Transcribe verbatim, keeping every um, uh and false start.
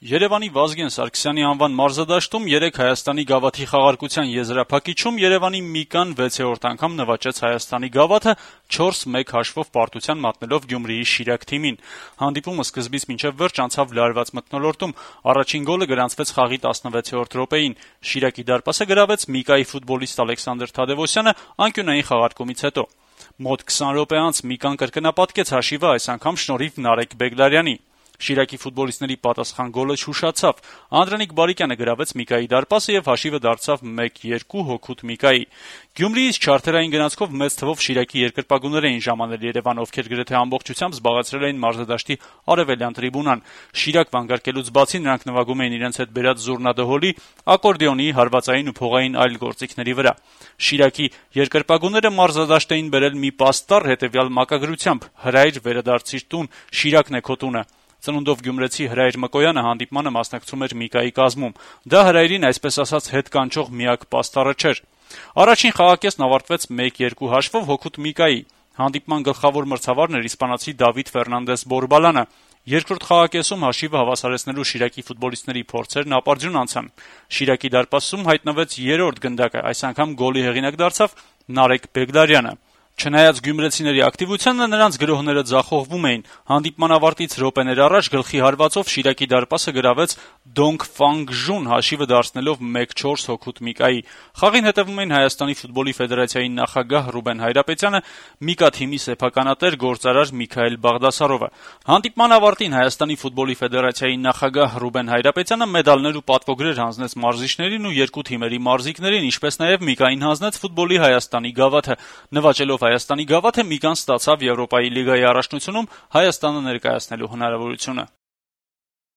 Երևանի Վազգեն Սարգսյանի անվան մարզադաշտում երեկ Հայաստանի գավաթի խաղարկության եզրափակիչում Երևանի Միկան վեցերորդ անգամ նվաճեց Հայաստանի գավաթը չորս մեկ հաշվով պարտության մատնելով Գյումրիի Շիրակ թիմին։ Հանդիպումը սկզբից մինչև վերջ անցավ լարված մթնոլորտում։ Առաջին գոլը գրանցվեց խաղի տասնվեցերորդ րոպեին։ Շիրակի դարպասը գրավեց Միկայի ֆուտբոլիստ Ալեքսանդր Թադևոսյանը անկյունային խաղարկումից հետո։ Մոտ քսան րոպե անց Միկան կրկնապատկեց հաշիվը, այս անգամ շնորհիվ Նարեկ Բեգլարյանի։ Շիրակի ֆուտբոլիստների պատասխան գոլը չուշացավ։ Անդրանիկ Բարիկյանը գրավեց Միկայի դարպասը եւ հաշիվը դարձավ մեկ երկու հօգուտ Միկայի։ Գյումրիից չարթերային գնացքով մեծ թվով Շիրակի երկրպագուներ էին ժամանել Երևան, ովքեր գրեթե ամբողջությամբ զբաղեցրել էին մարզադաշտի արևելյան տրիբունան։ Շիրակ վանկարկելուց բացի նրանք նվագում էին իրենց հետ բերած զուռնադհոլի, ակորդեոնի, հարվածային ու փողային այլ գործիքների վրա։ Շիրակի երկրպագուները մարզադաշտ էին բերել մի պաստառ հետեւյալ մակագրությամբ. «Հրայր վերադարձիր տուն, Շիրակն է քո տունը»։ Ծնունդով գյումրեցի Հրայր Մկոյանը հանդիպմանը մասնակցում էր Միկայի կազմում։ Դա Հրայրին այսպես ասած հետ կանչող միակ պաստառը չէր։ Առաջին խաղակեսն ավարտվեց մեկ երկու հաշվով հօգուտ Միկայի։ Հանդիպման գլխավոր մրցավարն էր իսպանացի Դավիթ Ֆերնանդես Բորբալանը։ Երկրորդ խաղակեսում հաշիվը հավասարեցնելու Շիրակի ֆուտբոլիստների փորձերն ապարդյուն անցան։ Շիրակի դարպասում հայտնվեց երրորդ գնդակը, այս անգամ գոլի հեղինակ դարձավ Նարեկ Բեգլարյանը։ Չնայած գյումրեցիների ակտիվությանը, նրանց գրոհները ձախողվում էին։ Հանդիպման ավարտից րոպեներ առաջ գլխի հարվածով Շիրակի դարպասը գրավեց Դոնգ Ֆանգժուն, հաշիվը դարձնելով մեկ չորս հօգուտ Միկայի։ Խաղին հետևում էին Հայաստանի ֆուտբոլի ֆեդերացիայի նախագահ Ռուբեն Հայրապետյանը, Միկա թիմի սեփականատեր գործարար Միքայել Բաղդասարովը։ Հանդիպման ավարտին Հայաստանի ֆուտբոլի ֆեդերացիայի նախագահ Ռուբեն Հայրապետյանը մեդալներ ու պատվոգրեր հանձնեց մարզիչներին ու երկու թիմերի մարզիկներին, ինչպես նաև Միկային հանձնեց ֆուտբոլի Հայաստանի գավաթը։ Նվաճելով Հայաստանի գավաթը Միկան ստացավ Եվրոպայի լիգայի առաջնությունում Հայաստանը ներկայացնելու հնարավորությունը։